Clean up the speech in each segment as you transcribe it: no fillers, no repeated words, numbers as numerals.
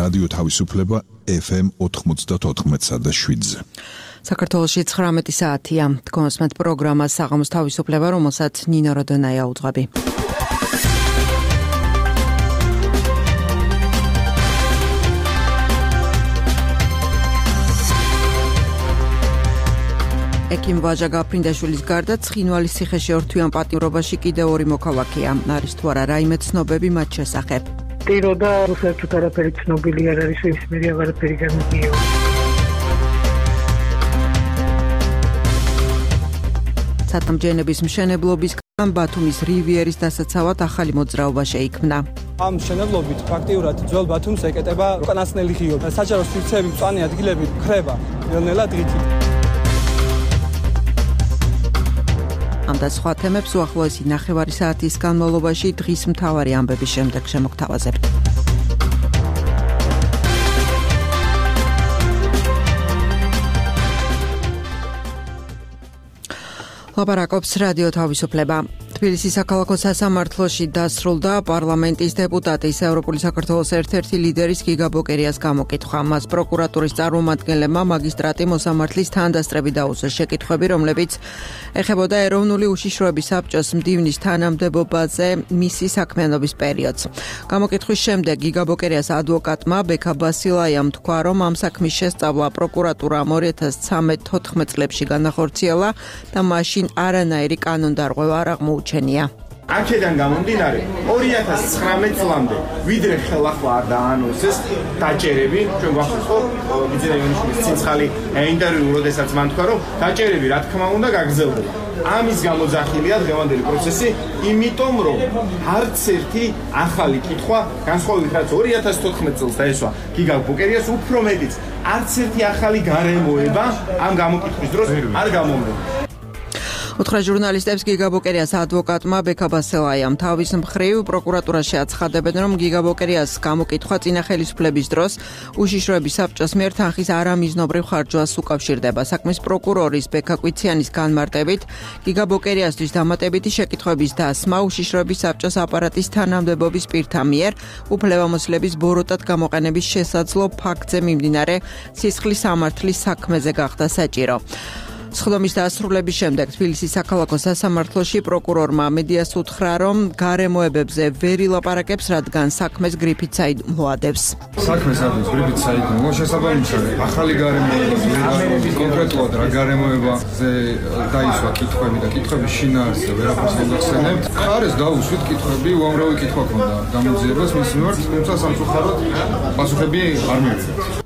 რადიო თავისუფლება FM 94.7-ზე. საქართველოში 19 საათია. თქვენსმეთ პროგრამა საღამოს თავისუფლება, რომელსაც ნინო როდონაია უძღვები. ეკიმ ვაჟა გაფრინდაშვილის გარდა ცხინვალის ციხეში ორთვიან პატიმრობაში კიდევ ორი მოქალაქეა. არის თუ არა რაიმე ცნობები მათ შესახებ? ტიროდა საერთოდ არაფერი ცნობილი არ არის, ის მე აღარაფერი გამიგია. სათამჯენების მშენებლობისგან ბათუმის რივიერის დასაცავად ახალი მოძრაობა შეიქმნა. ამ მშენებლობით ფაქტიურად ძველ ბათუმს ეკეტება უკანასკნელი ღიობი. საჯარო სივრცეები, მწვანე ადგილები ხრება ნელ-ნელა დღითი. ამ და სხვა თემებს უახლოესი ნახევარი საათის განმავლობაში დღის მთავარი ამბების შემდეგ შემოგთავაზებთ. ლაპარაკობს რადიო თავისუფლება. თბილისის საქალაქო სასამართლოში დასრულდა პარლამენტის დეპუტატის ევროპული საქართველოს ერთ-ერთი ლიდერის გიგა ბოკერიას გამოკითხვა. მას პროკურატურის წარმომადგენლებმა მაგისტრატი მოსამართლის თანდასწრებით დაუსვეს შეკითხვები, რომლებიც ეხებოდა ეროვნული უშიშროების საბჭოს მდივნის თანამდებობაზე მისი საქმიანობის პერიოდს. გამოკითხვის შემდეგ გიგა ბოკერიას ადვოკატმა ბექა ბასილაიამ თქვა, რომ ამ საქმის შესწავლა პროკურატურამ 2013-14 წლებში განახორციელა და მაშინ არანაირი კანონდარღვევა არ აღმოუჩენია. აქედან გამომდინარე 2019 წლამდე ვიდრე ხელახლა არ დაანონსეს დაჭერები, ჩვენ გვახსოვს ხო ვიძინაინიშვილის ცინცხალი ინტერვიუ, როდესაც მან თქვა, რომ დაჭერები რა თქმა უნდა გაგრძელდება. ამის გამოძახილია დღევანდელი პროცესი, იმიტომ რომ არც ერთი ახალი კითხვა, განსხვავებით რაც 2014 წელს დაესვა გიგა ბოკერიას, უფრო მეტიც არც ერთი ახალი გარემოება ამ გამოკითხვის დროს არ გამომრჩა. უთხრა ჟურნალისტებს გიგა ბოკერიას ადვოკატმა ბექა ბასილაიამ. თავის მხრივ პროკურატურაში აცხადებენ, რომ გიგა ბოკერიას გამოკითხვა წინა ხელისუფლების დროს უშიშროების საბჭოს მიერ თანხის არამიზნობრივ ხარჯვას უკავშირდება. საქმის პროკურორის ბექა კვიციანის განმარტებით, გიგა ბოკერიასთვის დამატებითი შეკითხვების დასმა უშიშროების საბჭოს აპარატის თანამდებობის პირთა მიერ უფლებამოსილების ბოროტად გამოყენების შესაძლო ფაქტზე მიმდინარე სისხლის სამართლის საქმეზე გახდა საჭირო. სხდომის დასრულების შემდეგ თბილისის საქალაქო სასამართლოში პროკურორმა მედიას უთხრა, რომ გარემოებებზე ვერ ილაპარაკებს, რადგან საქმეს გრიფით საიდუმლოადებს. საქმეს არის გრიფით საიდუმლო, შესაბამისად ახალი გარემოება კონკრეტულად რა გარემოებაზე დაისვა კითხვები და კითხვების შინაარსზე ვერაფერს ვერ ახსენებთ. ხარეს დაუსვით კითხვები, უამრავი კითხვა ქონდა გამოძიებას მის მიმართ, თუმცა სამწუხაროდ პასუხები არ მივიღეთ.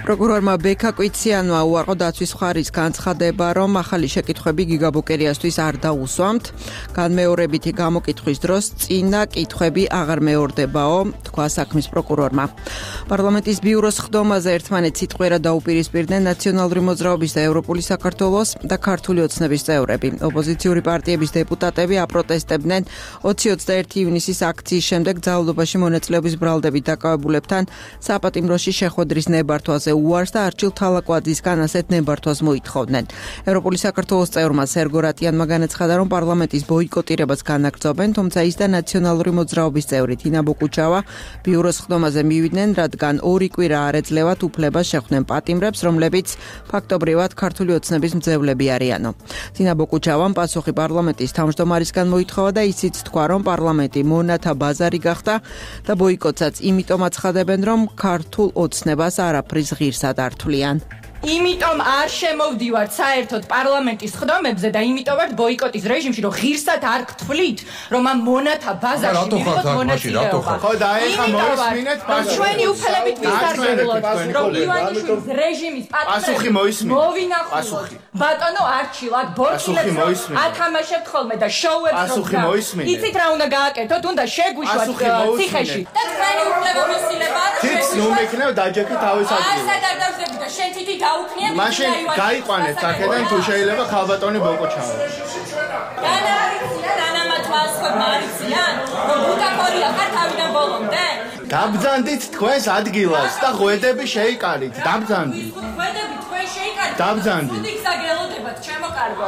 პროკურორმა ბექა კვიციანმა უარყო დაცვის მხარის განცხადება, რომ ახალი შეკითხვები გიგა ბოკერიასთვის არ დაუსვამთ. განმეორებითი გამოკითხვის დროს წინა კითხვები აღარ მეორდებაო, თქვა საქმის პროკურორმა. პარლამენტის ბიუროს ხდომაზე ერთმანეთს სიტყვიერად დაუპირისპირდნენ ნაციონალური მოძრაობის და ევროპული საქართველოს და ქართული ოცნების წევრები. ოპოზიციური პარტიების დეპუტატები აპროტესტებდნენ 20-21 ივნისის აქციის შემდეგ ძალადობაში მონაწილეობის ბრალდებით დაკავებულებთან საპატიმროში შეხვედრის ნებართვაზე უარს და არჩილ თალაკვაძისგან ასეთ ნებართვას მოითხოვდნენ. ევროპული საქართველოს წევრმა სერგო რატიანმა განაცხადა, რომ პარლამენტის ბოიკოტირებას განაგრძობენ, თუმცა ის და ნაციონალური მოძრაობის წევრი თინა ბოკუჩავა ბიუროს ხდომაზე მივიდნენ, რადგან ორი კვირა არ ეძლევათ უფლებას შეხვდნენ პატიმრებს, რომლებიც ფაქტობრივად ქართული ოცნების მძევლები არიანო. თინა ბოკუჩავამ პასუხი პარლამენტის თავმჯდომარისგან მოითხოვა და ისიც თქვა, რომ პარლამენტი მონათა ბაზარი გახდა და ბოიკოტსაც იმიტომ აცხადებენ, რომ ქართულ ოცნებას არაფრის ღირსად ართვლიან. იმიტომ არ შემოვდივართ საერთოდ პარლამენტის ხდომებზე და იმიტომ ვართ ბოიკოტის რეჟიმში, რომ ღირსად არ გთვლით, რომ ამ მონათა ბაზარში მივიღოთ მონაწილეობა. ხო და ეხა მოისმინეთ პასუხი. ჩვენი უფლებით ვისარგებლოთ, რომ ივანიშვილის რეჟიმის პასუხი მოისმინეთ. მოვინახულოთ. ბატონო არჩილად ბორჩილებს ათამაშებთ ხოლმე და შოუებს პასუხი მოისმინეთ. იცით რა უნდა გააკეთოთ, უნდა შეგვიშვათ ციხეში. და თქვენი უფლებამოსილებაა, რომ შეგვიშვათ. დაჯექეთ თავის ადგილზე. ასად არ დავსდები და შენ თითი მაშინ გაიყვანეთ აქედან თუ შეიძლება ხალბატონი ბოკოჩავა. Dabzandit თქვენს ადგილას და ღვედები შეიკარით. Dabzandit. ღვედები თქვენ შეიკარით. Dabzandit. გაგელოდებათ ჩემო კარგო.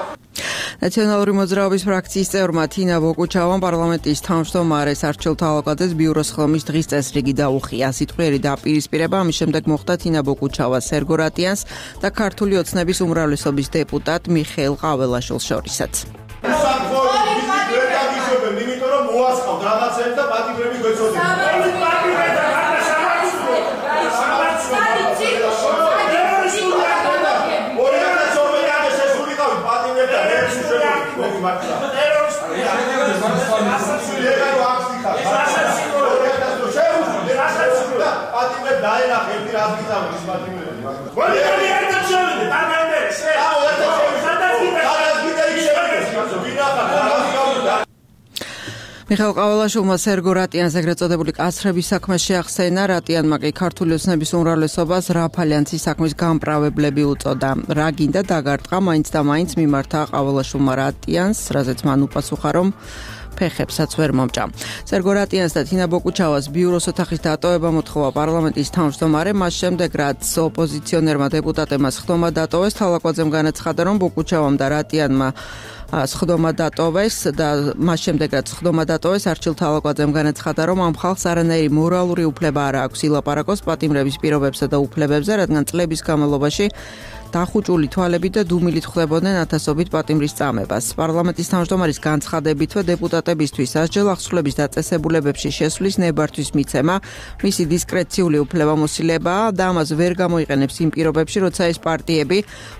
ნაციონალური მოძრაობის ფრაქციის წევრმა თინა ბოკუჩავამ პარლამენტის თავმჯდომარეს არჩილ თალაკაძეს ბიუროს ხელმის დღის წესრიგი დაუხია. სიტყვიერი დაპირისპირება ამის შემდეგ მოხდა თინა ბოკუჩავას, სერგო რატიანს და ქართული ოცნების უმრავლესობის დეპუტატ მიხეილ ყაველაშვილს შორისაც. მიხეილ ყაველაშვილმა სერგო რატიანს ეგრეთ წოდებული კაცრების საქმე შეახსენა. რატიანმა კი ქართული ოცნების უმრავლესობას რაფალიანცის საქმის გამპრავლებლები უწოდა. რა გინდა დაგარტყა, მაინც და მაინც მიმართა ყაველაშვილმა რატიანს, რაზეც მან უპასუხა, რომ ფეხებსაც ვერ მომჭა. სერგო რატიანს და თინა ბოკუჩავას ბიუროს ოთახის დატოვება მოთხოვა პარლამენტის თავმჯდომარე, მას შემდეგ რაც ოპოზიციონერმა დეპუტატებმა სხდომა დატოვეს, თალაკაძემ განაცხადა, რომ ბოკუჩავამ და რატიანმა სხდომა დატოვეს და მას შემდეგ რაც სხდომა დატოვეს, არჩილ თალაკაძემ განაცხადა, რომ ამ ხალხს არანაირი მორალური უფლება არ აქვს ილაპარაკოს პატიმრების პირობებსა და უფლებებზე, რადგან წლების განმავლობაში დახუჭული თვალებით და დუმილით ხვდებოდნენ ათასობით პატიმრის წამებას. პარლამენტის თავმჯდომარის განცხადებითვე დეპუტატებისთვის სასჯელ ახსვლების დაწესებულებებში შესვლის ნებართვის მიცემა მისი დისკრეციული უფლებამოსილებაა და ამას ვერ გამოიყენებს იმ პირობებში, როცა ეს პარტიები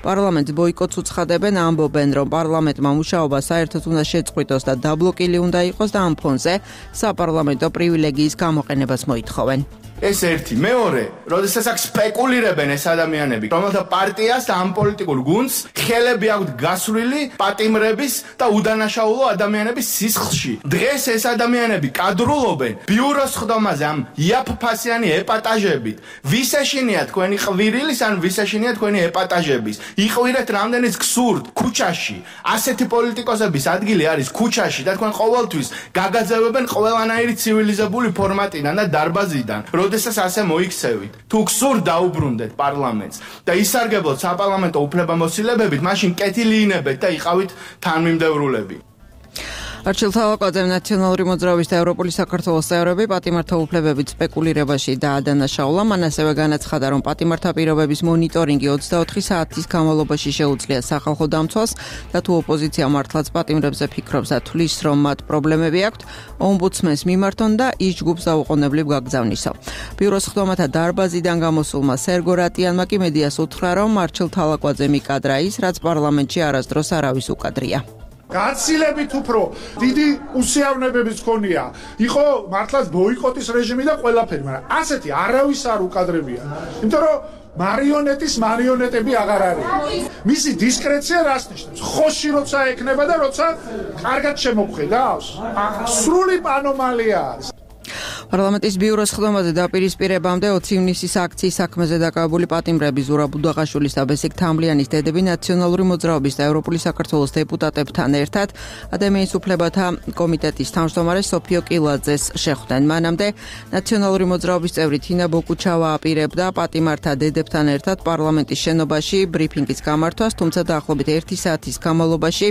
პარლამენტს ბოიკოტს უცხადებენ, ამბობენ, რომ პარლამენტმა მუშაობა საერთოდ უნდა შეწყვიტოს და დაბლოკილი უნდა იყოს და ამ ფონზე საპარლამენტო პრივილეგიის გამოყენებას მოითხოვენ. ეს ერთი, მეორე, როდესაც აქ სპეკულირებენ ეს ადამიანები, რომელთა პარტიას და ამ პოლიტიკურ გუნდს ხელები აქვთ გასვლილი პატიმრების და უდანაშაულო ადამიანების სისხლში. დღეს ეს ადამიანები კადრულობენ ბიუროს ხდომაზე ამ იაფფასიანი ეპატაჟებით. ვის ეშინია თქვენი ყვირილის ან ვის ეშინია თქვენი ეპატაჟების? იყვირეთ რამდენიც გსურთ ქუჩაში. ასეთი პოლიტიკოსების ადგილი არის ქუჩაში და თქვენ ყოველთვის გაგაძევებენ ყველანაირი ცივილიზებული ფორმატიდან და დარბაზიდან. როდესაც ასე მოიქცევით. თუ გსურთ დაუბრუნდეთ პარლამენტს და ისარგებლოთ საპარლამენტო უფლებამოსილებებით, მაშინ კეთილინებეთ და იყავით თანმიმდევრულები. არჩილ თალაკაძემ ნაციონალური მოძრაობის და ევროპული საქართველოს წევრები პატიმართა უფლებებით სპეკულირებაში დაადანაშაულა. მან ასევე განაცხადა, რომ პატიმართა პირობების მონიტორინგი 24 საათის განმავლობაში შეუძლია სახალხო დამცვას და თუ ოპოზიცია მართლაც პატიმრებზე ფიქრობს და თვლის, რომ მათ პრობლემები აქვთ, ომბუდსმენს მიმართონ და ის ჯგუფს დაუყოვნებლივ გაგზავნისო. ბიუროს ხდომათა დარბაზიდან გამოსულმა სერგო რატიანმა კი მედიას უთხრა, რომ არჩილ თალაკაძე მიკადრა ის, რაც პარლამენტში არასდროს არავის უკადრია. გაცილებით უფრო დიდი უსიავნებებიც ქონია. იყო მართლაც ბოიკოტის რეჟიმი და ყველაფერი, მაგრამ ასეთი არავის არ უკადრებია. იმიტომ რომ მარიონეტები აღარ არის. მისი დისკრეცია რას ნიშნავს? ხოში როცა ეკნება და როცა კარგად შემოგხედავს. სრული ანომალია არის. პარლამენტის ბიუროს ხდომაზე დაპირისპირებამდე 20 ივნისის აქციის საქმეზე დაკავებული პატიმრები ზურა ბუდაღაშვილის და ბესიკ თამლიანის დედები ნაციონალური მოძრაობის და ევროპული საქართველოს დეპუტატებთან ერთად ადამიანის უფლებათა კომიტეტის თავმჯდომარე სოფიო კილაძეს შეხვდნენ. მანამდე ნაციონალური მოძრაობის წევრი თინა ბოკუჩავა აპირებდა პატიმართა დედებთან ერთად პარლამენტის შენობაში ბრიფინგის გამართვას, თუმცა დაახლოებით 1 საათის განმავლობაში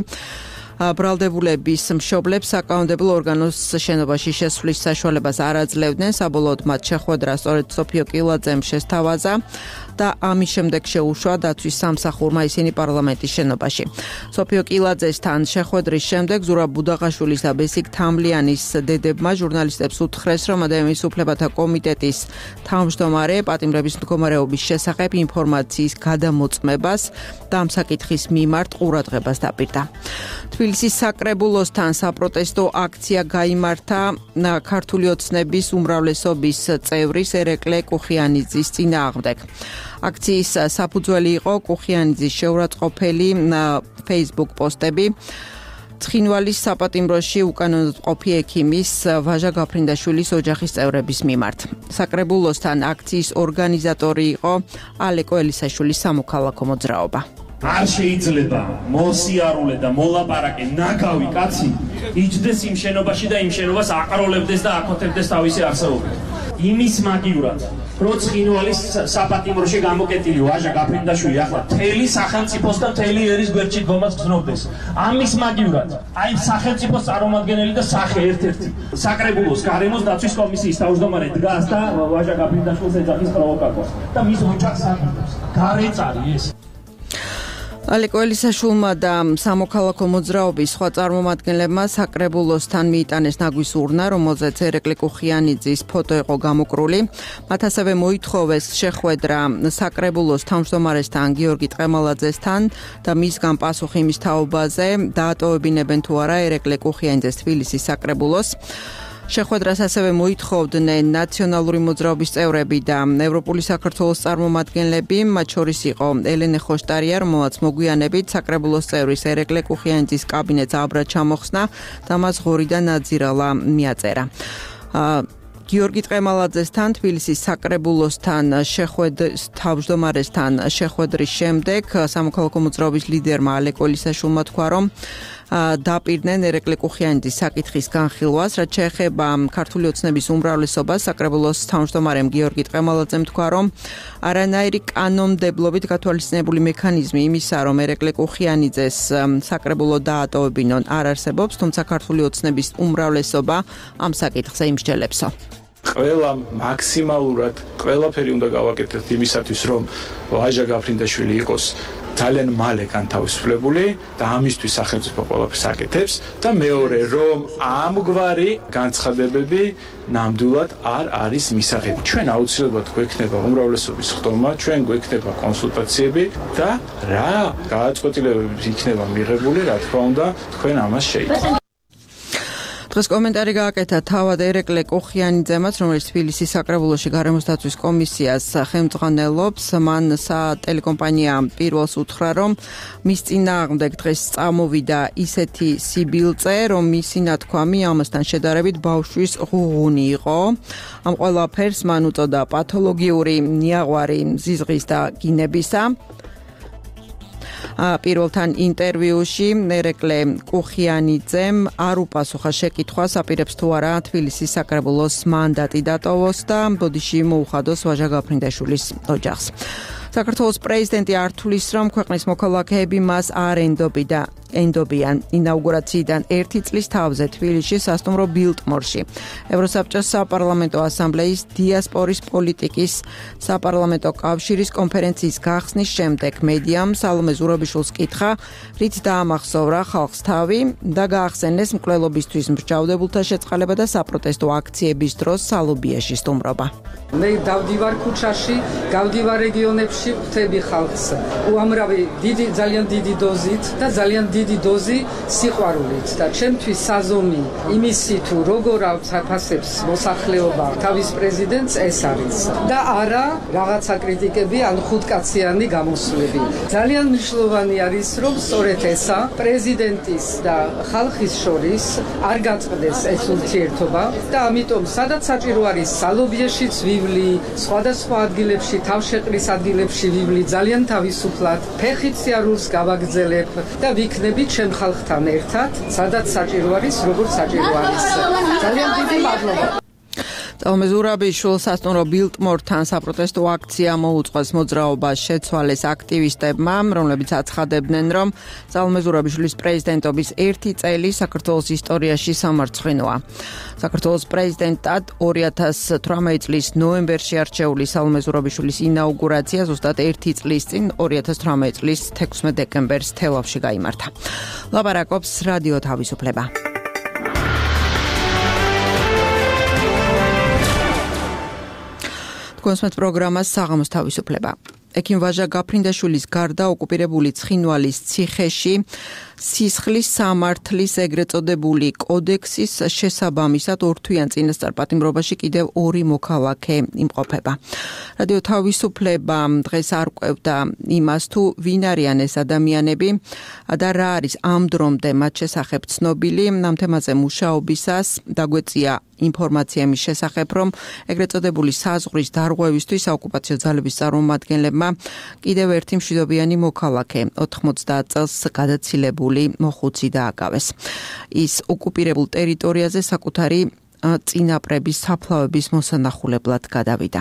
ბრალდებულების მშობლებს საკანონმდებლო ორგანოს შენობაში შესვლის საშუალებას არ აძლევდნენ. საბოლოოდ მათ შეხვედრა სწორედ სოფიო კილაძემ შესთავაზა და ამის შემდეგ შეუშვა დაცვის სამსახურმა ისინი პარლამენტის შენობაში. სოფიო კილაძესთან შეხვედრის შემდეგ ზურაბ ბუდაღაშვილის და ბესიკ თამლიანის დედებმა ჟურნალისტებს უთხრეს, რომ ადამიანის უფლებათა კომიტეტის თავმჯდომარე პატიმრების მდგომარეობის შესახებ ინფორმაციის გადამოწმებას და ამ საკითხის მიმართ ყურადღებას დაპირდა. თბილისის საკრებულოსთან საპროტესტო აქცია გაიმართა ქართული ოცნების უმრავლესობის წევრის ერეკლე კუხიანიძის წინააღმდეგ. აქციის საფუძველი იყო კუხიანიძის შეურაცხყოფელი Facebook პოსტები. ცხინვალის საპატიმროში უკანონოდ ყოფი ექიმის ვაჟა გაფრინდაშვილის ოჯახის წევრების მიმართ. საკრებულოსთან აქციის ორგანიზატორი იყო ალეკო ელისაშვილის სამოქალაქო მოძრაობა. არ შეიძლება მოსიარულე და მოლაპარაკე ნაგავი კაცი იჯდეს იმ შენობაში და იმ შენობას აყროლებდეს და აკოთებდეს თავისი არსებობით. იმის მაგივრად როც ხინვალის საპატიმროში გამოკეტილი ვაჟა გაფრინდაშვილი ახლა თელი სახელმწიფოს და თელი ერის გვერდში დგომას გზნობს. ამის მაგივრად აი სახელმწიფოს წარმომადგენელი და სახე ერთ-ერთი საკრებულოს გარემოს დაცვის კომისიის თავმჯდომარე დგას და ვაჟა გაფრინდაშვილს ეძახის პროვოკატორს და მის ოჯახს აკეთებს. გარეწარი ეს ალეკო ელისაშვილმა და სამოქალაქო მოძრაობის სხვა წარმომადგენლებმა საკრებულოსთან მიიტანეს ნაგვის ურნა, რომელზეც ერეკლე კუხიანიძის ფოტო იყო გამოკრული. მათ ასევე მოითხოვეს შეხვედრა საკრებულოს თავმჯდომარესთან გიორგი ტყემალაძესთან და მისგან პასუხი იმის თაობაზე, დაატოვებინებენ თუ არა ერეკლე კუხიანიძეს თბილისის საკრებულოს. შეხვედრას ასევე მოითხოვდნენ ნაციონალური მოძრაობის წევრები და ევროპული საქართველოს წარმომადგენლები, მათ შორის იყო ელენე ხოშტარია, რომელმაც მოგვიანებით საკრებულოს წევრის ერეკლე კუხიანიძის კაბინეტს აბრა ჩამოხსნა და მას ღორი და ნაძირალა მიაწერა. გიორგი ტყემალაძესთან თბილისის საკრებულოსთან თავმჯდომარესთან შეხვედრის შემდეგ სამოქალაქო მოძრაობის ლიდერმა ალეკო ელისაშვილმა თქვა, რომ დაპირდნენ ერეკლე კუხიანიძის საკითხის განხილვას, რაც შეეხება ქართული ოცნების უმრავლესობას. საკრებულოს თავმჯდომარემ გიორგი ტყემალაძემ თქვა, რომ არანაირი კანონმდებლობით გათვალისწინებული მექანიზმი იმისა, რომ ერეკლე კუხიანიძეს საკრებულო დაატოვებინონ, არ არსებობს, თუმცა ქართული ოცნების უმრავლესობა ამ საკითხზე იმსჯელებსო. ყველა მაქსიმალურად ყველაფერი უნდა გავაკეთოთ იმისათვის, რომ ვაჟა გაფრინდაშვილი იყოს ძალიან მალე განთავისუფლებული და ამისთვის სახელმწიფო ყველაფერს აკეთებს და მეორე, რომ ამგვარი განცხადებები ნამდვილად არ არის მისაღები. ჩვენ აუცილებლად გვექნება უმრავლესობის ხდომა, ჩვენ გვექნება კონსულტაციები და რა გადაწყვეტილებები იქნება მიღებული, რა თქმა უნდა, თქვენ ამას შეიცვალეთ. დღეს კომენტარი გააკეთა თავად ერეკლე კუხიანიძემაც, რომელიც თბილისის საკრებულოში გარემოს დაცვის კომისიას ხელმძღვანელობს. მან სატელეკომპანია პირველს უთხრა, რომ მის წინააღმდეგ დღეს წამოვიდა ისეთი სიბილწე, რომ მისი ნათქვამი ამასთან შედარებით ბავშვის ღუღუნი იყო. ამ ყველაფერს მან უწოდა პათოლოგიური ნიაღვარი მზიზღის და გინებისა. პირველთან ინტერვიუში ერეკლე კუხიანიძემ არ უპასუხა შეკითხვას, აპირებს თუ არა თბილისის საკრებულოს მანდატი დატოვოს და ბოდიში მოუხადოს ვაჟა გაფრინდაშვილის ოჯახს. საქართველოს პრეზიდენტი ართulis, რომ ქვეყნის მოქალაქეები მას არ ენდობიან. ინაუგურაციიდან 1 წლის თავზე თბილისში სასტუმრო ბილტმორში ევროსაბჭოს საპარლამენტო ასამბლეის დიასპორის პოლიტიკის საპარლამენტო კავშირის კონფერენციის გახსნის შემდეგ მედიამ სალომე ზურაბიშვილს კითხა, რით დაამახსოვრა ხალხს თავი და გაახსენეს მკვლელობისთვის მსჯავრდებულთა შეწყალება და საპროტესტო აქციების დროს სალობიაში სტუმრობა. მე დავდივარ ქუჩაში, გავდივარ რეგიონებში, ხვდები ხალხს უამრავი ძალიან დიდი დოზით და ძალიან დიდი დოზი სიყვარულით და ჩემთვის საზომი იმისი თუ როგორ აფასებს მოსახლეობა თავის პრეზიდენტს ეს არის და არა რაღაცა კრიტიკები ან ხუთკაციანი გამოსვლები. ძალიან მნიშვნელოვანი არის, რომ სწორედ ესა პრეზიდენტის და ხალხის შორის არ გაწყდეს ეს ურთიერთობა და ამიტომ სადაც საჭირო არის სალობიეშიც ვივლი, სხვადასხვა ადგილებში, თავშეყრის ადგილებში ვივლი ძალიან თავისუფლად, ფეხით სიარულს გავაგრძელებ და ვიქნები ჩემ ხალხთან ერთად, სადაც საჭირო არის, როგორც საჭირო არის. ძალიან დიდი მადლობა. სალომე ზურაბიშვილს სასტუმრო ბილტმორთან საპროტესტო აქცია მოუწყოს მოძრაობას შეცვალეს აქტივისტებმა, რომლებიც აცხადებდნენ, რომ სალომე ზურაბიშვილის პრეზიდენტობის 1 წელი საქართველოს ისტორიაში სამარცხვინოა. საქართველოს პრეზიდენტად 2018 წლის ნოემბერში არჩეული სალომე ზურაბიშვილის ინაუგურაცია ზუსტად 1 წლის წინ 2018 წლის 16 დეკემბერს თელავში გაიმართა. ლაპარაკობს რადიო თავისუფლება. კონსმეთ პროგრამას საღამოს თავისუფლება. ექიმ ვაჟა გაფრინდაშვილის გარდა ოკუპირებული ცხინვალის ციხეში სისხლის სამართლის ეგრეთ წოდებული კოდექსის შესაბამისად ორთვიან წინასწარ პატიმრობაში კიდევ 2 მოქალაქე იმყოფება. რადიო თავისუფლება დღეს არ ყვევდა იმას, თუ ვინ არიან ეს ადამიანები და რა არის ამ დრომდე მათ შესახებ ცნობილი. ამ თემაზე მუშაობისას დაგვეწია ინფორმაცია მის შესახებ, რომ ეგრეთ წოდებული საზღვრის დარღვევისთვის საოკუპაციო ძალების წარმომადგენლებმა კიდევ ერთი მშვიდობიანი მოქალაქე 90 წელს გადაცილებული მოხუცი დააკავეს. ის ოკუპირებულ ტერიტორიაზე საკუთარი წინაპრების საფლავების მოსანახულებლად გადავიდა.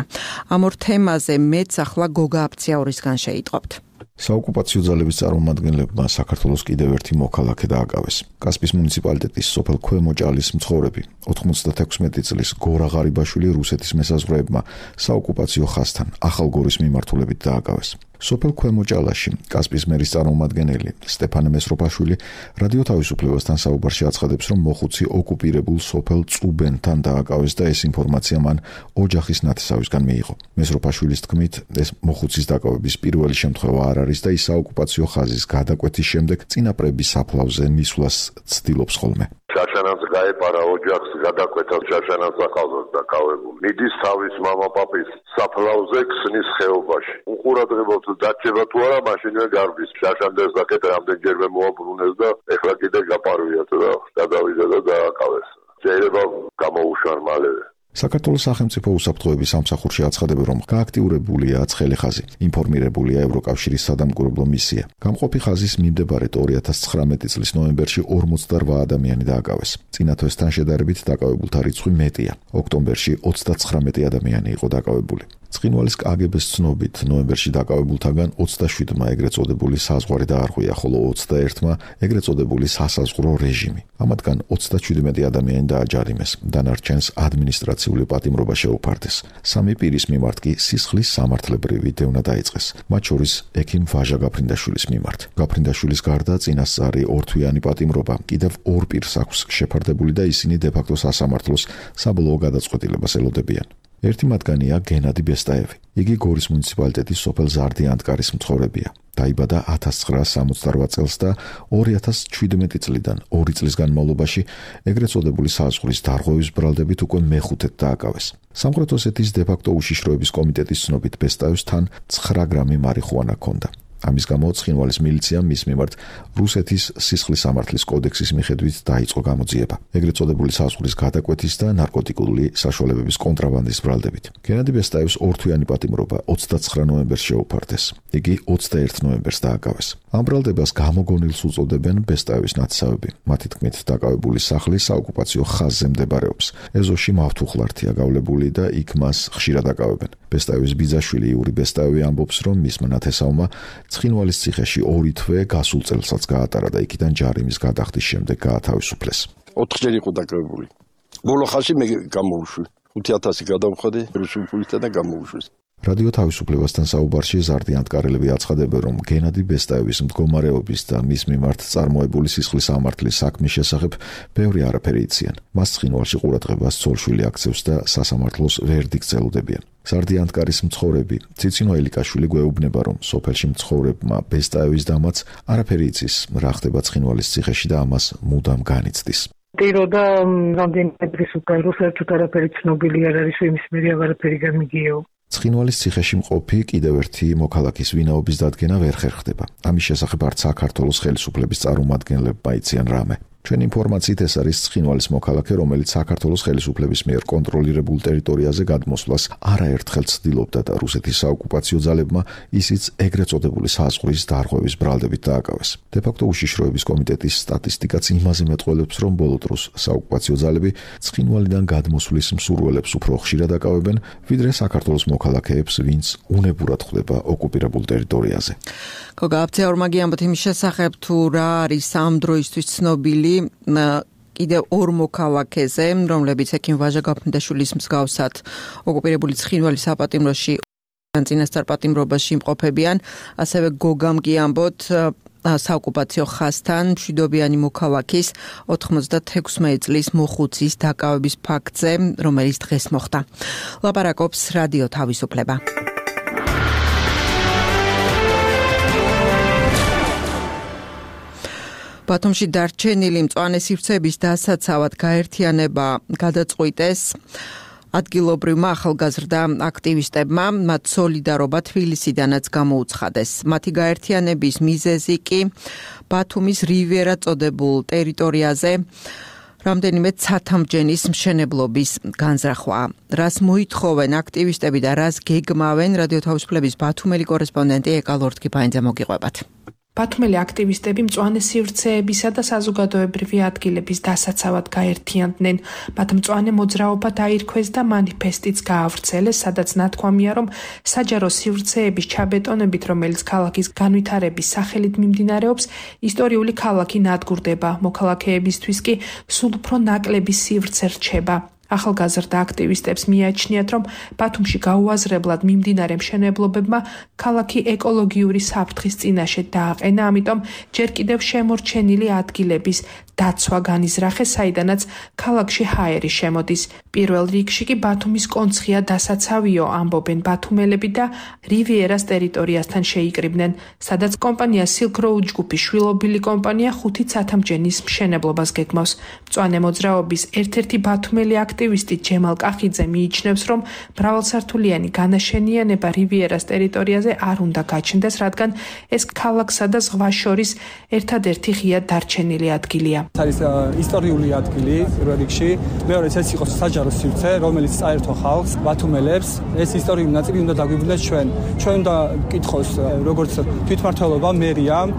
ამ ორ თემაზე მეც ახლა გოგა აფციაურისგან შეიტყობთ. საოკუპაციო ძალების წარმომადგენლებმა საქართველოს კიდევ ერთი მოქალაქე დააკავეს. კასპის მუნიციპალიტეტის სოფელ ქვემოჭალის მცხოვრები 96 წლის გორა ღარიბაშვილი რუსეთის მესაზღვრეებმა საოკუპაციო ხაზთან ახალგორის მიმართულებით დააკავეს. სოფელ ქვემოჭალაში კასპის მერის წარმომადგენელი სტეფანე მესროპაშვილი რადიო თავისუფლებასთან საუბარში აცხადებს, რომ მოხუცი ოკუპირებულ სოფელ წუბენთან დააკავეს და ეს ინფორმაცია მან ოჯახის ნათესავისგან მიიღო. მესროპაშვილის თქმით, ეს მოხუცის დაკავების პირველი შემთხვევა არ არის და ის საოკუპაციო ხაზის გადაკვეთის შემდეგ წინაპრების საფლავზე მისვლას ცდილობს ხოლმე. შაშანაც გაეპარა ოჯახს გადაკვეთა შაშანაც ახალგაზრდა დაკავებული. მიდის თავის მამა-პაპის საფლავზე ქსნის ხეობაში. უყურადღებობს დაჭება თუ არა, მაშინვე გარბის. შაშანდეს საკეთ რამდენჯერმე მოაბრუნეს და ეხლა კიდე გაპარვიათ და გადავიდა და დააკავეს. შეიძლება გამოუშვან მალევე. საქართველოს სახელმწიფო უსაფრთხოების სამსახურში აცხადებენ, რომ გააქტიურებულია ცხელი ხაზი. ინფორმირებულია ევროკავშირის სადამკვირვებლო მისია. გამყოფი ხაზის მიმდებარედ 2019 წლის ნოემბერში 48 ადამიანი დააკავეს. წინა თვესთან შედარებით დაკავებულთა რიცხვი მეტია. ოქტომბერში 39 ადამიანი იყო დაკავებული. ცხინვალის კგბ-ს ცნობით, ნოემბერში დაკავებულთაგან 27-მა ეგრეთ წოდებული საზღვარი დაარღვია, ხოლო 21-მა ეგრეთ წოდებული სასაზღვრო რეჟიმი. ამათგან 37 ადამიანი დააჯარიმეს, დანარჩენს ადმინისტრაციული პატიმრობა შეუფარდეს. 3 პირის მიმართ კი სისხლის სამართლებრივი დევნა დაიწყეს, მათ შორის ექიმ ვაჟა გაფრინდაშვილის მიმართ. გაფრინდაშვილის გარდა წინასწარი ორთვიანი პატიმრობა კიდევ 2 პირს აქვს შეფარდებული და ისინი დე-ფაქტო სასამართლოს საბოლოო გადაწყვეტილებას ელოდებიან. ერთი მათგანია გენადი ბესტაევი. იგი გორის მუნიციპალიტეტის სოფელ ზარდიანტკარის მცხოვრებია. დაიბადა 1968 წელს და 2017 წლიდან 2 წლის განმავლობაში ეგრეთ წოდებული საზღვრის დარღვევის ბრალდებით უკვე მეხუთედ დააკავეს. სამხრეთ ოსეთის დე-ფაქტო უშიშროების კომიტეტის ცნობით ბესტაევს თან 9 გრამი მარიხუანა ჰქონდა. ამის გამო ცხინვალის მილიციამ მის მიმართ რუსეთის სისხლის სამართლის კოდექსის მიხედვით დაიწყო გამოძიება. ეგრეთ წოდებული საზღვრის გადაკვეთის და ნარკოტიკული საშუალებების კონტრაბანდის ბრალდებით. გენადი ბესტაევს ორთვიანი პატიმრობა 29 ნოემბერს შეუფარდეს. იგი 21 ნოემბერს დააკავეს. ამ ბრალდებას გამოგონილს უწოდებენ ბესტაევის ნათესავები. მათი თქმით, დაკავებული სახლი საოკუპაციო ხაზზე მდებარეობს. ეზოში მავთუხლართია გავლებული და იქ მას ხშირად აკავებენ. ბესტაევის ბიძაშვილი იური ბესტაევი ამბობს, რომ მისმა ნათესავმა ცხინვალის ციხეში 2 თვე გასულ წელსაც გაატარა და იქიდან ჯარიმის გადახდის შემდეგ გაათავისუფლეს. 4 ჯერ იყო დაკავებული. ბოლო ხალხი მე გამოვუშვი. 5000 გადავხადე რუსულ პულისთან და გამოვუშვეს. რადიო თავისუფლებასთან საუბარში ზარდიანტკარელები აცხადებენ, რომ გენადი ბესტაევის მდგომარეობის და მის მიმართ წარმოებული სისხლის სამართლის საქმის შესახებ ბევრი არაფერი იციან. მას ცხინვალში ყურადღებას ცოლშვილი აქცევს და სასამართლოს ვერდიქტს ელოდებიან. ზარდიანტკარის მცხოვრები ციცინო ელიკაშვილი გვეუბნება, რომ სოფელში მცხოვრებმა ბესტაევის დამაც არაფერი იცის, რა ხდება ცხინვალის ციხეში და ამას მუდამ განიცდის. ტიროდა რამდენიმე დღის უკან საერთოდ არაფერი ცნობილი არ არის, იმის მერე არაფერი გამიგიეო. ცხინვალის ციხეში მყოფი კიდევ ერთი მოქალაქის ვინაობის დადგენა ვერ ხერხდება. ამის შესახებ არც საქართველოს ხელისუფლების წარმომადგენლებმა იციან რამე. ჩვენ ინფორმაციით ეს არის ცხინვალის მოქალაქე, რომელიც საქართველოს ხელისუფლების მიერ კონტროლირებულ ტერიტორიაზე გადმოსვლას არაერთხელ ცდილობდა და რუსეთის საოკუპაციო ძალებმა ისიც ეგრეთ წოდებული საზღვრის დარღვევის ბრალდებით დააკავეს. დე-ფაქტო უშიშროების კომიტეტის სტატისტიკაც იმაზე მეტყველებს, რომ ბოლო დროს საოკუპაციო ძალები ცხინვალიდან გადმოსვლის მსურველებს უფრო ხშირად აკავებენ, ვიდრე საქართველოს მოქალაქეებს, ვინც უნებურად ხვდება ოკუპირებულ ტერიტორიაზე. გოგა აფციაურმა გიამბოთ იმის შესახებ, თუ რა არის ამ დროისთვის ცნობილი კიდევ 2 მოქალაქეზე, რომლებიც ექიმ ვაჟა გაფრინდაშვილის მსგავსად ოკუპირებული ცხინვალის საპატიმროში წინასწარ პატიმრობაში იმყოფებიან, ასევე გოგამ გიამბოთ საოკუპაციო ხაზთან მშვიდობიანი მოქალაქის 96 წლის მოხუცის დაკავების ფაქტზე, რომელიც დღეს მოხდა. ლაპარაკობს რადიო თავისუფლება. ბათუმში დარჩენილი მწვანე სივრცეების დასაცავად გაერთიანება გადაწყვიტეს ადგილობრივმა ახალგაზრდა აქტივისტებმა, მათ სოლიდარობა თბილისიდანაც გამოუცხადეს. მათი გაერთიანების მიზეზი კი ბათუმის რივიერა წოდებულ ტერიტორიაზე რამდენიმე ცათამბჯენის მშენებლობის განზრახვა. რას მოითხოვენ აქტივისტები და რას გეგმავენ, რადიო თავისუფლების ბათუმელი კორესპონდენტი ეკა ლორთქიფაინძე მოგიყვებათ. ბათუმელი აქტივისტები მწვანე სივრცეებისა და საზოგადოებრივი ადგილების დასაცავად გაერთიანდნენ. მათ მწვანე მოძრაობა დაირქვეს და მანიფესტიც გაავრცელეს, სადაც ნათქვამია, რომ საჯარო სივრცეების ჩაბეტონებით, რომელიც ქალაქის განვითარების სახელით მიმდინარეობს, ისტორიული ქალაქი ნადგურდება, მოქალაქეებისთვის კი სულ უფრო ნაკლები სივრცე რჩება. ახალგაზრდა აქტივისტებს მიაჩნიათ, რომ ბათუმში გაუაზრებლად მიმდინარე მშენებლობებმა ქალაქი ეკოლოგიური საფრთხის წინაშე დააყენა, ამიტომ ჯერ კიდევ შემორჩენილი ადგილების დაცვა განიზრახეს, საიდანაც ქალაქში ჰაერი შემოდის. პირველ რიგში კი ბათუმის კონცხია დასაცავიო, ამბობენ ბათუმელები და რივიერას ტერიტორიასთან შეიკრიბნენ, სადაც კომპანია Silk Road ჯგუფის შვილობილი კომპანია 5 ცათამბჯენის მშენებლობას გეგმავს. მწვანე მოძრაობის ერთ-ერთი ბათუმელი აქტივისტი ჯემალ კახიძე მიიჩნევს, რომ მრავალსართულიანი განაშენიანება რივიერას ტერიტორიაზე არ უნდა გაჩნდეს, რადგან ეს ქალაქსა და ზღვას შორის ერთადერთი ღია დარჩენილი ადგილია. არის ისტორიული ადგილი პირველ რიგში, მეორეც ეს იყო საჯარო სივრცე, რომელიც წაერთო ხალხს, ბათუმელებს. ეს ისტორიული ნაწილი უნდა დაგვიბრუნდეს ჩვენ. ჩვენ უნდა გკითხოს როგორც თვითმმართველობა, მერიამ,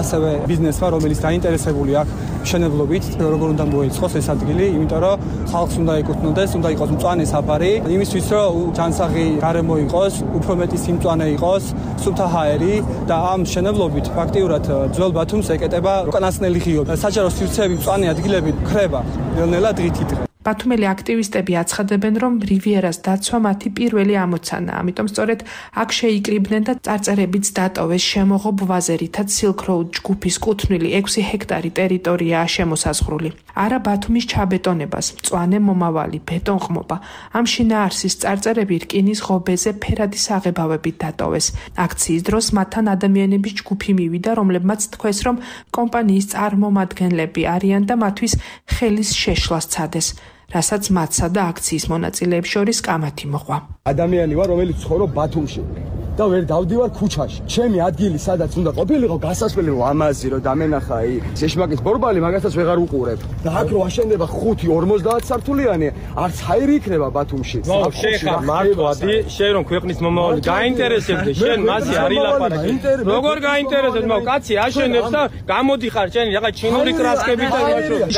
ასევე ბიზნესმა, რომელიც დაინტერესებული აქვს მშენებლობით, როგორ უნდა მოეწყოს ეს ადგილი, იმიტომ რომ ხალხს უნდა ეკუთვნოდეს, უნდა იყოს მწვანე საფარი, იმისთვის რომ ჯანსაღი გარემო იყოს, უფრო მეტი სიმწვანე იყოს, სუფთა ჰაერი და ამ მშენებლობით ფაქტიურად ძველ ბათუმს ეკეტება უკანასკნელი ღიობი. საჯარო სივრცეები მწვანე ადგილები ხრება ნელ-ნელა დღით-დღე. ბათუმელი აქტივისტები აცხადებენ, რომ რივიერას დაცვა მათი პირველი ამოცანაა, ამიტომ სწორედ აქ შეიკრიბნენ და წარწერებიც დატოვეს შემოღობ ვაზერითაც Silk Road ჯგუფის კუთვნილი 6 ჰექტარი ტერიტორიაა შემოსაზღვრული. არა ბათუმის ჩაბეტონებას, მწვანე მომავალი, ბეტონყმობა. ამ შინაარსის წარწერები რკინის ღობეზე ფერადი საღებავებით დატოვეს. აქციის დროს მათთან ადამიანების ჯგუფი მივიდა, რომლებმაც თქვეს, რომ კომპანიის წარმომადგენლები არიან და მათთვის ხელის შეშლა სცადეს. რასაც მათსა და აქციის მონაწილეებს შორის კამათი მოყვა. ადამიანი ვარ, რომელიც ცხოვრობ ბათუმში და ვერ დავდივარ ქუჩაში. ჩემი ადგილი სადაც უნდა ყოფილიყო, გასასვლელი ამაზი რომ დამენახა შეშმაკის ბორბალი, მაგასაც ვეღარ უყურებ. და აქ რო აშენდება 5-50 სართულიანი, არც ჰაერი იქნება ბათუმში. შეხა მართვადი, შენ რომ ქვეყნის მომავალი გაინტერესებდე, შენ მასე არ ილაპარაკე. როგორ გაინტერესებს, მაგ კაცი აშენებს და გამოდიხარ შენ რაღაც ჩინური კრასკებით და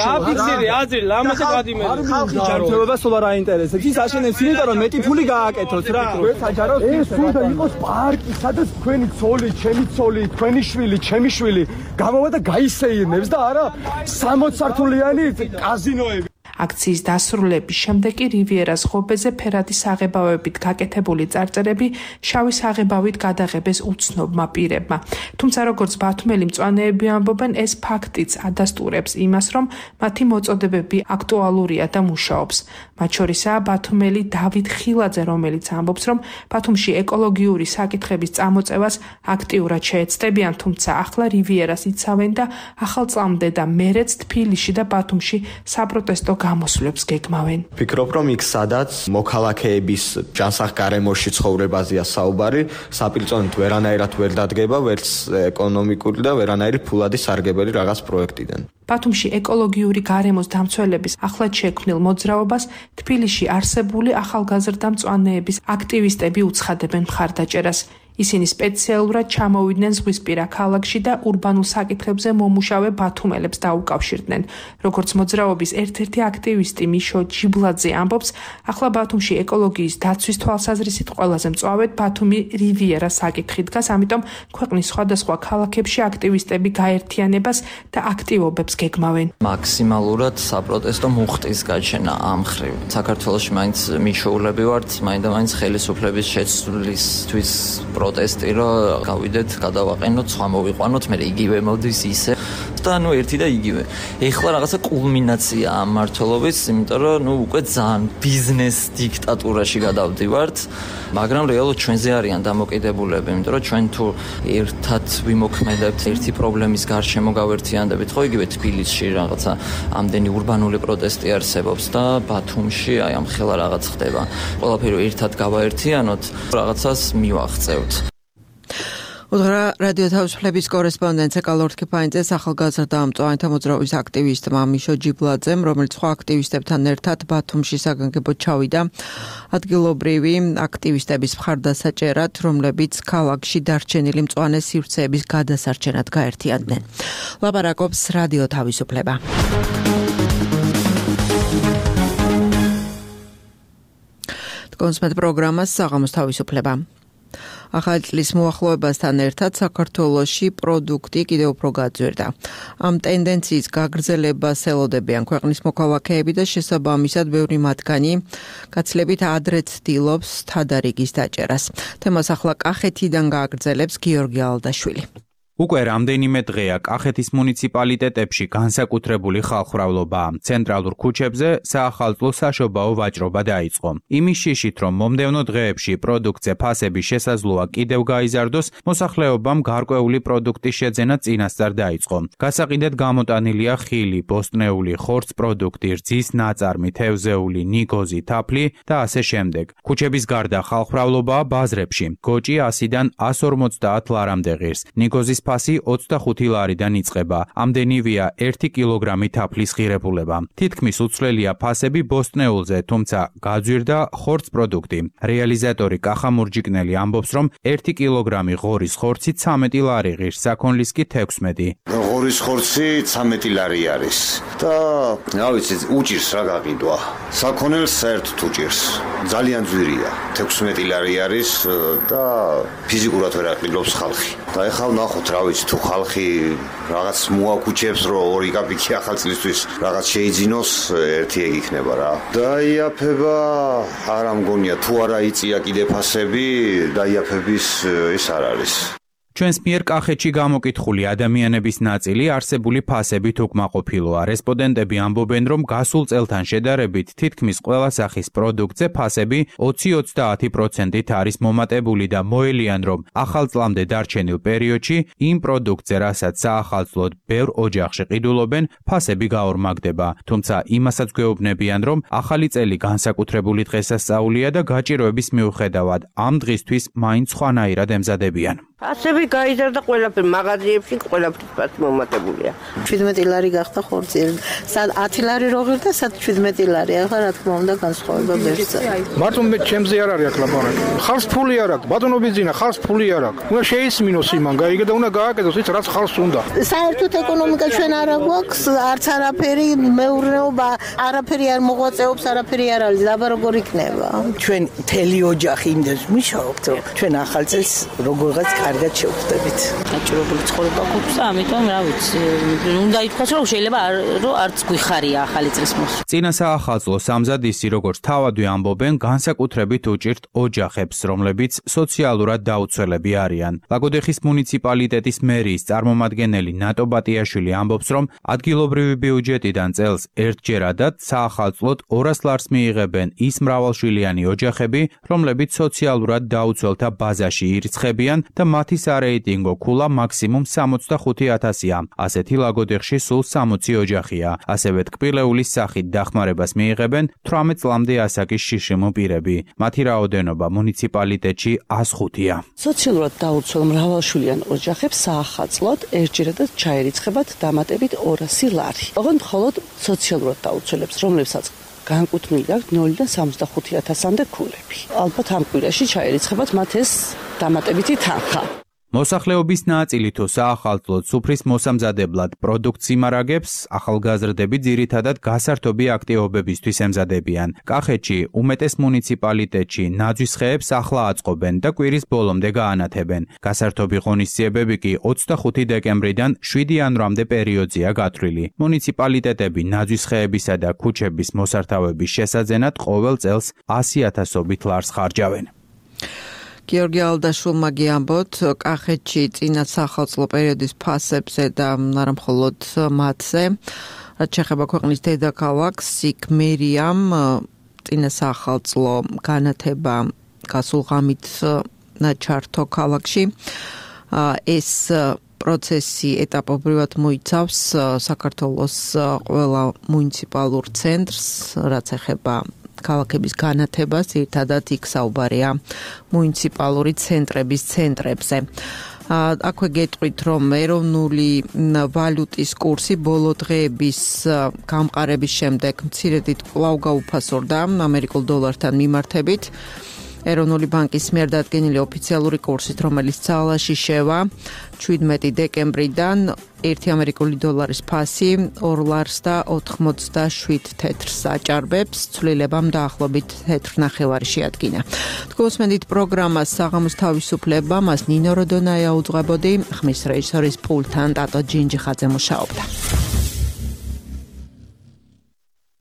გააფიქსირე აზრი, ლამაზე გადიმერი. ჯანმრთელობა სულ არ აინტერესებს. ის აშენებს იმიტომ რომ მეტი ფული გააკეთოს რა. საჯარო ეს უნდა იყოს პარკი, სადაც თქვენი ცოლი, ჩემი ცოლი, თქვენი შვილი, ჩემი შვილი გამოვა და გაისეირნებს და არა 60 სართულიანი კაზინოები. აქციის დასრულების შემდეგ კი რივიერას ღობეზე ფერადი საღებავებით გაკეთებული წარწერები შავი საღებავით გადაღებეს უცნობმა პირებმა. თუმცა როგორც ბათუმელი მწვანეები ამბობენ, ეს ფაქტიც ადასტურებს იმას, რომ მათი მოწოდებები აქტუალურია და მუშაობს. მათ შორისაა ბათუმელი დავით ხილაძე, რომელიც ამბობს, რომ ბათუმში ეკოლოგიური საკითხების წამოწევას აქტიურად შეეცდებიან, თუმცა ახლა რივიერას იცავენ და ახალწლამდე და მერეც თბილისში და ბათუმში საპროტესტო გამოსვლებს გეგმავენ. ფიქრობ, რომ იქ სადაც მოქალაქეების ჯანსაღ გარემოში ცხოვრებაზეა საუბარი, საპილწონით ვერანაირად ვერ დადგება, ვერც ეკონომიკური და ვერანაირი ფულადი სარგებელი რაღაც პროექტიდან. ბათუმში ეკოლოგიური გარემოს დამცველების ახლად შექმნილ მოძრაობას თბილისში არსებული ახალგაზრდა მწვანეების აქტივისტები უცხადებენ მხარდაჭერას. ისინი სპეციალურად ჩამოვიდნენ ზღვისპირა ქალაქში და ურბანულ საკითხებზე მომუშავე ბათუმელებს დაუკავშირდნენ. როგორც მოძრაობის ერთ-ერთი აქტივისტი მიშო ჯიბლაძე ამბობს, ახლა ბათუმში ეკოლოგიის დაცვის თვალსაზრისით ყველაზე მწვავედ ბათუმი რივიერას საკითხი დგას, ამიტომ ქვეყნის სხვადასხვა ქალაქებში აქტივისტები გაერთიანებას და აქტივობებს გეგმავენ. მაქსიმალურად საპროტესტო მუხტის გაჩენა ამ ხრივ. საქართველოში მაინც მიშოულები ვართ, მაინდა-მაინც ხელისუფლების შეცვლისთვის პროტესტი, რომ გავიდეთ, გადავაყენოთ, სხვა მოვიყვანოთ, მე იგივე მოდის ისე და ერთი და იგივე. ეხლა რაღაცა კულმინაცია ამ მართლობის, იმიტომ რომ უკვე ძალიან ბიზნეს დიქტატურაში გადავდივართ, მაგრამ რეალურად ჩვენზე არიან დამოკიდებულები, იმიტომ რომ ჩვენ თუ ერთად ვიმოქმედებთ, ერთი პრობლემის გარშემო გავერთიანდებით, ხო იგივე თბილისში რაღაცა ამდენი ურბანული პროტესტი არსებობს და ბათუმში აი ამ ხელა რაღაც ხდება. ყველაფერი ერთად გავაერთიანოთ, რაღაცას მივაღწევთ. უდღრა რადიო თავისუფლების კორესპონდენტ ეკალორ თქიფანიძეს ახალგაზრდა მწვანეთა მოძრაობის აქტივისტმა მიშო ჯიბლაძემ, რომელიც სხვა აქტივისტებთან ერთად ბათუმში საგანგებოდ ჩავიდა ადგილობრივი აქტივისტების მხარდასაჭერად, რომლებიც ქალაქში დარჩენილი მწვანე სივრცეების გადასარჩენად გაერთიანდნენ. ლაპარაკობს რადიო თავისუფლება. კონსმეთ პროგრამას საღამოს თავისუფლება. ახალი წლის მოახლოებასთან ერთად საქართველოში პროდუქტი კიდევ უფრო გაძვირდა. ამ ტენდენციის გაგრძელებას ელოდებიან ქვეყნის მოქალაქეები და შესაბამისად ბევრი მათგანი გაცილებით ადრე ცდილობს თადარიგის დაჭერას. თემას ახლა კახეთიდან გააგრძელებს გიორგი ალდაშვილი. უკვე რამდენიმე დღეა კახეთის მუნიციპალიტეტებში განსაკუთრებული ხალხმრავლობაა. ცენტრალურ ქუჩებზე საახალწლო საშობაო ვაჭრობა დაიწყო. იმის შიშით, რომ მომდევნო დღეებში პროდუქტზე ფასების შესაძლოა კიდევ გაიზარდოს, მოსახლეობამ გარკვეული პროდუქტის შეძენა წინასწარ დაიწყო. გასაყიდად გამოტანილია ხილი, ბოსტნეული, ხორცს პროდუქტი, რძის ნაწარმი, თევზეული, ნიგოზი, თაფლი და ასე შემდეგ. ქუჩების გარდა ხალხმრავლობაა ბაზრებში. გოჭი 100-დან 150 ლარამდე ღირს. ნიგოზის ფასი 25 ლარიდან იწყება. ამდენივეა 1 კილოგრამი თაფლის ღირებულება. თითქმის უცვლელია ფასები ბოსტნეულზე, თუმცა გაძვირდა ხორცს პროდუქტი. რეალიზატორი კახა მურჯიკნელი ამბობს, რომ 1 კილოგრამი ღორის ხორცი 13 ლარი ღირს, საქონლის კი 16. ღორის ხორცი 13 ლარი არის და რა ვიცი, უჭირს რა გაყიდვა. საქონელს საერთოდ უჭირს. ძალიან ძვირია. 16 ლარი არის და ფიზიკურად ვერ აყიდობს ხალხი. და ეხლა ვნახოთ რა ვიცი, თუ ხალხი რაღაც მოაკუჩებს, რომ 2 კაპიკი ახალწლისთვის რაღაც შეიძინოს, ერთი ეგ იქნება რა. დაიაფება არა მგონია, თუ არა იწია კიდე ფასები, დაიაფების ის არ არის. ჩვენს მიერ კახეთში გამოკითხული ადამიანების ნაწილი არსებული ფასებით უკმაყოფილოა. რესპონდენტები ამბობენ, რომ გასულ წელთან შედარებით თითქმის ყველა სახის პროდუქტზე ფასები 20-30%-ით არის მომატებული და მოელიან, რომ ახალ წლამდე დარჩენილ პერიოდში იმ პროდუქტზე, რასაც საახალწლოდ ბევრ ოჯახში ყიდულობენ, ფასები გაორმაგდება. თუმცა იმასაც გვეუბნებიან, რომ ახალი წელი განსაკუთრებული დღესასწაულია და გაჭირვების მიუხედავად ამ დღისთვის მაინც სხვანაირად ემზადებიან. ფასები გაიზარდა ყველაფერი, მაღაზიებში ყველაფრის ფასი მომატებულია. 17 ლარი გახდა ხორცი. სად 10 ლარი რო ღირდა, სად 17 ლარი. ახლა რა თქმა უნდა განსხვავება ბევრია. მარტო მე ჩემზე არ არის აქ ლაპარაკი. ხალხს ფული არ აქვს, ბატონობის ძინა, ხალხს ფული არ აქვს. უნდა შეისმინოს იმან, გაიგე და უნდა გააკეთოს ის რაც ხალხს უნდა. საერთოდ ეკონომიკა ჩვენ არა გვაქვს, არც არაფერი, მეურნეობა არაფერი არ მოღვაწეობს, არაფერი არ არის. აბა როგორ იქნება? ჩვენ მთელი ოჯახი იმდენს მუშაობთ, რომ ჩვენ ახალ წელს როგორღაც კარგად შევხვდებით. დაჭირებული ცხოვრება გვაქვს და ამიტომ რა ვიცი, უნდა ითქვას, რომ შეიძლება რომ არც გვიხარია ახალი წლის მოსვლა. წინა საახალწლო სამზადისი, როგორც თავადვე ამბობენ, განსაკუთრებით უჭირთ ოჯახებს, რომლებიც სოციალურად დაუცველები არიან. ლაგოდეხის მუნიციპალიტეტის მერიის წარმომადგენელი ნატო ბატიაშვილი ამბობს, რომ ადგილობრივი ბიუჯეტიდან წელს ერთჯერადად საახალწლოდ 200 ლარს მიიღებენ ის მრავალშვილიანი ოჯახები, რომლებიც სოციალურად დაუცველთა ბაზაში ირიცხებიან და მათი სარეიტინგო ქულა მაქსიმუმ 65,000-ია. ასეთი ლაგოდეხში სულ 60 ოჯახია. ასევე ტკბილეულის სახით დახმარებას მიიღებენ 18 წლამდე ასაკის შიშიმო პირები. მათი რაოდენობა მუნიციპალიტეტში 105-ია. სოციალურად დაუცველ მრავალშვილიან ოჯახებს საახალწლოდ ერთჯერადად ჩაერიცხებათ დამატებით 200 ლარი. ოღონდ მხოლოდ სოციალურად დაუცველებს, რომლებსაც განკუთვნილი აქვს 0-დან 65,000-მდე ქულები. ალბათ ამ კვირაში ჩაერიცხებათ მათ ეს დამატებითი თანხა. მოსახლეობის ნაწილი თუ საახალწლოდ სუფრის მოსამზადებლად პროდუქტს იმარაგებს, ახალგაზრდები ძირითადად გასართობი აქტივობებისთვის ემზადებიან. კახეთში უმეტეს მუნიციპალიტეტში ნაძვის ხეებს ახლა აწყობენ და კვირის ბოლომდე გაანათებენ. გასართობი ღონისძიებები კი 25 დეკემბრიდან 7 იანვრამდე პერიოდზეა გათვლილი. მუნიციპალიტეტები ნაძვის ხეებისა და ქუჩების მოსართავების შესაძენად ყოველ წელს 100,000-ობით ლარს ხარჯავენ. გიორგი ალდაშვილმა გიამბოთ, კახეთში წინა საახალწლო პერიოდის ფასებზე და არა მხოლოდ მათზე, რაც შეეხება ქვეყნის დედაქალაქს, იქ მერიამ წინა საახალწლო განათება გასულ ღამით ჩართო ქალაქში. ეს პროცესი ეტაპობრივად მოიცავს საქართველოს ყველა მუნიციპალურ ცენტრს, რაც ეხება ქალაქების განათებას, ერთადად იქ საუბარია მუნიციპალური ცენტრების ცენტრებზე. აქვე გეტყვით, რომ ეროვნული ვალუტის კურსი ბოლო დღეების გამყარების შემდეგ მცირედით კვლავ გაუფასორდა ამერიკულ დოლართან მიმართებით. ეროვნული ბანკის მიერ დადგენილი ოფიციალური კურსით, რომელიც ძალაში შევა 17 დეკემბრიდან 1 ამერიკული დოლარის ფასი 2.87 თეთრს აჭარბებს, ცვლილება დაახლოებით 1.5 შეადგინა. თქვენსმენდით პროგრამას საღამოს თავისუფლება, მას ნინო როდონაია უძღვებოდი, ხმის რეჟისორის პულტთან ტატო ჯინჯიხაძე მუშაობდა.